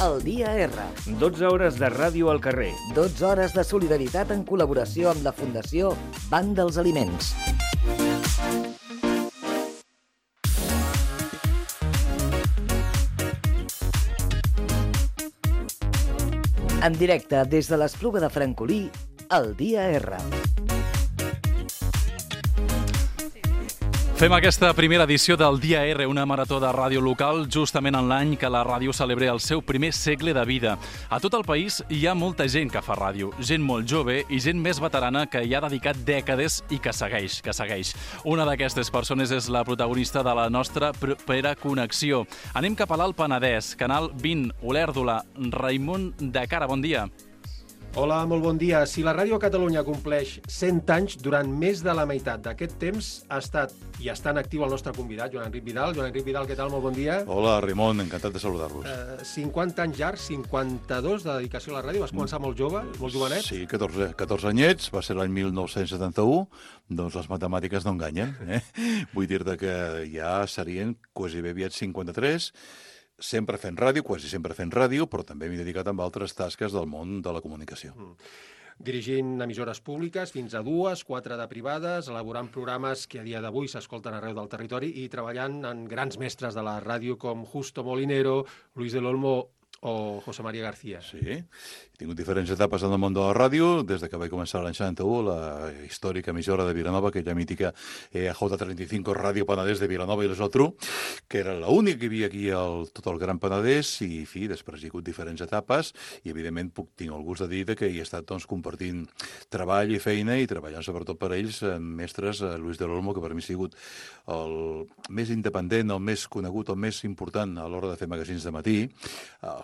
El dia R. 12 hores de ràdio al carrer. 12 hores de solidaritat en col·laboració amb la Fundació Banc dels Aliments. En directe des de l'Espluga de Francolí, el dia R. Fem aquesta primera edició del Dia R, una marató de ràdio local, justament en l'any que la ràdio celebra el seu primer segle de vida. A tot el país hi ha molta gent que fa ràdio, gent molt jove i gent més veterana que hi ha dedicat dècades i que segueix. Una d'aquestes persones és la protagonista de la nostra propera connexió. Anem cap a l'Alt Penedès, Canal 20, Olèrdola. Raimon de Cara, bon dia. Hola, molt bon dia. Si la ràdio a Catalunya compleix 100 anys, durant més de la meitat d'aquest temps ha estat i està en actiu el nostre convidat, Joan Enric Vidal. Joan Enric Vidal, què tal? Molt bon dia. Hola, Raimon, encantat de saludar-vos. 50 anys llargs, 52 de dedicació a la ràdio. Vas començar molt jove, molt jovenet? Sí, 14 anyets, va ser l'any 1971, doncs les matemàtiques no enganyen. Vull dir-te que ja serien quasi bé aviat 53, sempre fent ràdio, quasi sempre fent ràdio, però també m'he dedicat amb altres tasques del món de la comunicació. Dirigint emissores públiques fins a 2, 4 de privades, elaborant programes que a dia d'avui s'escolten arreu del territori i treballant en grans mestres de la ràdio com Justo Molinero, Luis del Olmo o José María García. Sí, he tingut diferents etapes en el món de la ràdio, des de que vaig començar l'any 71, la històrica emissora de Vilanova, aquella mítica J35 Ràdio Penedès de Vilanova i la Geltrú, que era l'única que hi havia aquí tot el Gran Penedès, i fi, després hi ha hagut diferents etapes, i evidentment tinc el gust de dir que hi he estat compartint treball i feina, i treballant sobretot per ells, mestres, Luis del Olmo, que per mi ha sigut el més independent, el més conegut, el més important a l'hora de fer magazins de matí.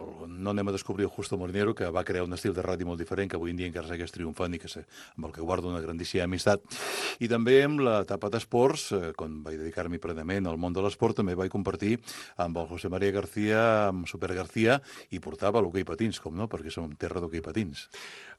No anem a descobrir el Justo Molinero, que va crear un estil de ràdio molt diferent, que avui en dia encara segueix triomfant i amb el que guardo una grandíssima amistat. I també amb l'etapa d'esports, quan vaig dedicar-m'hi plenament al món de l'esport, també vaig compartir amb el José María García, amb Super García, i portava l'hoquei patins, com no, perquè som terra d'hoquei patins.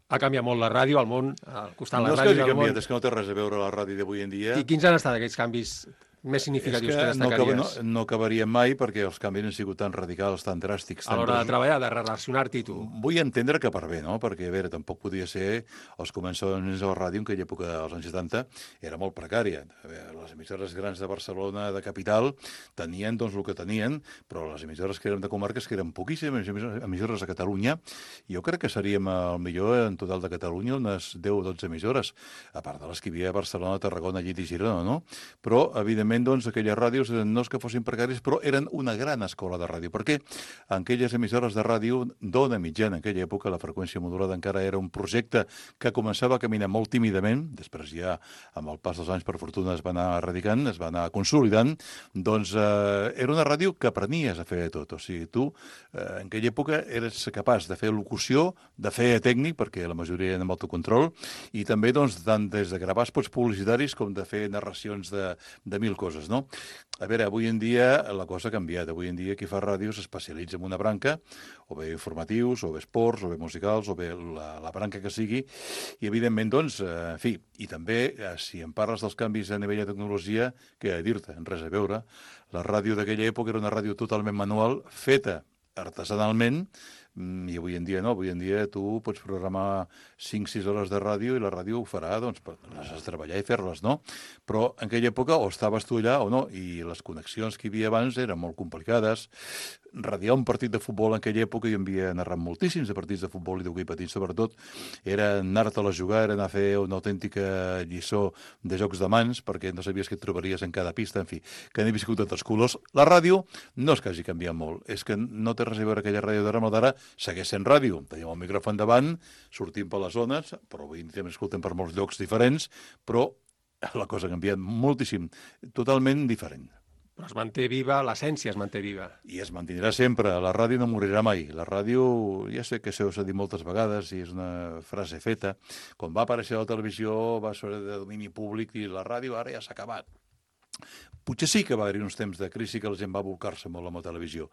Ha canviat molt la ràdio, al món, al costat de la ràdio. No és que hagi canviat, és que no té res a veure la ràdio d'avui en dia. I quins han estat aquells canvis més significatius que destacaries? No acabarien mai perquè els canvis han sigut tan radicals, tan dràstics. A l'hora de treballar, de relacionar-t'hi tu. Vull entendre que per bé, no? Perquè, a veure, tampoc podia ser els començaments de la ràdio, en aquella època dels anys 70, era molt precària. Les emissores grans de Barcelona, de capital, tenien doncs el que tenien, però les emissores que eren de comarques, que eren poquíssimes emissores a Catalunya, jo crec que seríem, millor en total de Catalunya, unes 10 o 12 emissores, a part de les que hi havia a Barcelona, Tarragona, Llit i Girona, no? Però, evidentment, doncs, aquelles ràdios no és que fossin precàries, però eren una gran escola de ràdio, perquè en aquelles emissores de ràdio d'ona mitjana, en aquella època la freqüència modulada encara era un projecte que començava a caminar molt tímidament, després ja, amb el pas dels anys, per fortuna, es va anar erradicant, es va anar consolidant, doncs era una ràdio que aprenies a fer de tot, o sigui, tu en aquella època eres capaç de fer locució, de fer tècnic, perquè la majoria eren amb autocontrol, i també, doncs, tant des de gravar spots publicitaris com de fer narracions de mil coses, no? A veure, avui en dia la cosa ha canviat. Avui en dia qui fa ràdio s'especialitza en una branca, o bé informatius, o bé esports, o bé musicals, o bé la branca que sigui, i evidentment, doncs, en fi, i també, si em parles dels canvis a nivell de tecnologia, què he de dir-te? Res a veure. La ràdio d'aquella època era una ràdio totalment manual, feta artesanalment, i avui en dia no, avui en dia tu pots programar 5-6 hores de ràdio i la ràdio ho farà, doncs, les has de treballar i fer-les, no? Però en aquella època o estaves tu allà o no, i les connexions que hi havia abans eren molt complicades. Radiar un partit de futbol en aquella època, jo havia narrat moltíssims de partits de futbol i d'hoquei patins, sobretot, era anar-te-la a jugar, era anar a fer una autèntica lliçó de jocs de mans, perquè no sabies què et trobaries en cada pista, en fi, que n'he viscut de tots colors. La ràdio no és que hagi canviat molt, és que no té res a veure aquella ràdio d'ara amb la d'ara, segueix sent ràdio. Tenim el micròfon davant, sortim per les zones, però avui també escoltem per molts llocs diferents, però la cosa ha canviat moltíssim, totalment diferent. Però es manté viva, l'essència es manté viva. I es mantindrà sempre. La ràdio no morirà mai. La ràdio, ja sé que això s'ha dit moltes vegades i és una frase feta. Quan va aparèixer la televisió va ser de domini públic i la ràdio ara ja s'ha acabat. Potser sí que va haver-hi uns temps de crisi que la gent va volcar-se molt amb la televisió.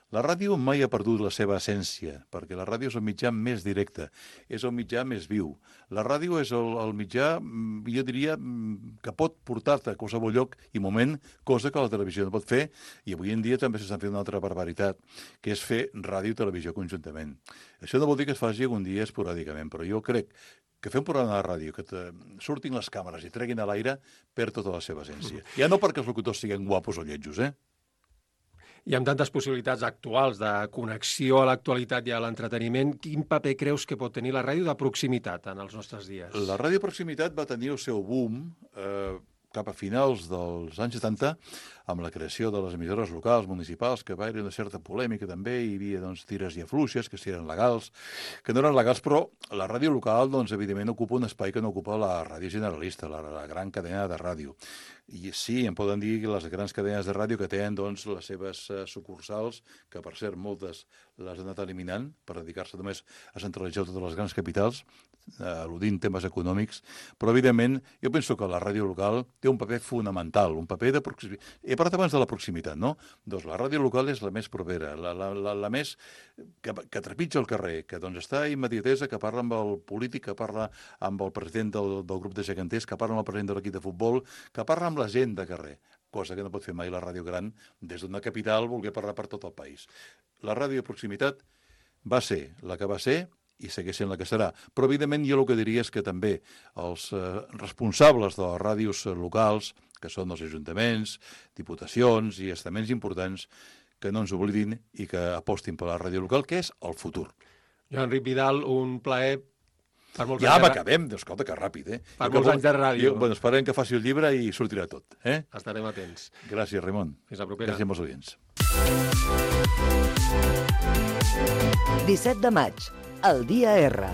La ràdio mai ha perdut la seva essència, perquè la ràdio és el mitjà més directe, és el mitjà més viu. La ràdio és el mitjà, jo diria, que pot portar-te a qualsevol lloc i moment, cosa que la televisió no pot fer, i avui en dia també s'estan fent una altra barbaritat, que és fer ràdio i televisió conjuntament. Això no vol dir que es faci algun dia esporàdicament, però jo crec que fer un programa de ràdio, que surtin les càmeres i treguin a l'aire, perd tota la seva essència. Ja no perquè els locutors siguin guapos o lletjos, I amb tantes possibilitats actuals de connexió a l'actualitat i a l'entreteniment, quin paper creus que pot tenir la ràdio de proximitat en els nostres dies? La ràdio de proximitat va tenir el seu boom cap a finals dels anys 70, amb la creació de les emissores locals, municipals, que va haver una certa polèmica també, hi havia tires i afluixes, que si eren legals, que no eren legals, però la ràdio local, evidentment, ocupa un espai que no ocupa la ràdio generalista, la gran cadena de ràdio. I sí, em poden dir les grans cadenes de ràdio que tenen les seves sucursals, que per cert moltes les han anat eliminant per dedicar-se només a centralitzar totes les grans capitals, al·ludint temes econòmics, però evidentment jo penso que la ràdio local té un paper fonamental, un paper de proximitat. He parlat abans de la proximitat, no? Doncs la ràdio local és la més propera, la més que trepitja el carrer, que està a immediatesa, que parla amb el polític, que parla amb el president del grup de geganters, que parla amb el president de l'equip de futbol, que parla amb la gent de carrer, cosa que no pot fer mai la ràdio gran des d'una capital voler parlar per tot el país. La ràdio de proximitat va ser la que va ser i segueix sent la que serà. Però, evidentment, jo el que diria és que també els responsables de les ràdios locals, que són els ajuntaments, diputacions i estaments importants, que no ens oblidin i que apostin per la ràdio local, que és el futur. Joan Enric Vidal, un plaer. Ja m'acabem, escolta, que ràpid, Per molts anys de ràdio. Esperem que faci el llibre i sortirà tot. Estarem atents. Gràcies, Ramon. Fins la propera. Gràcies als oients. 17 de maig, el dia R.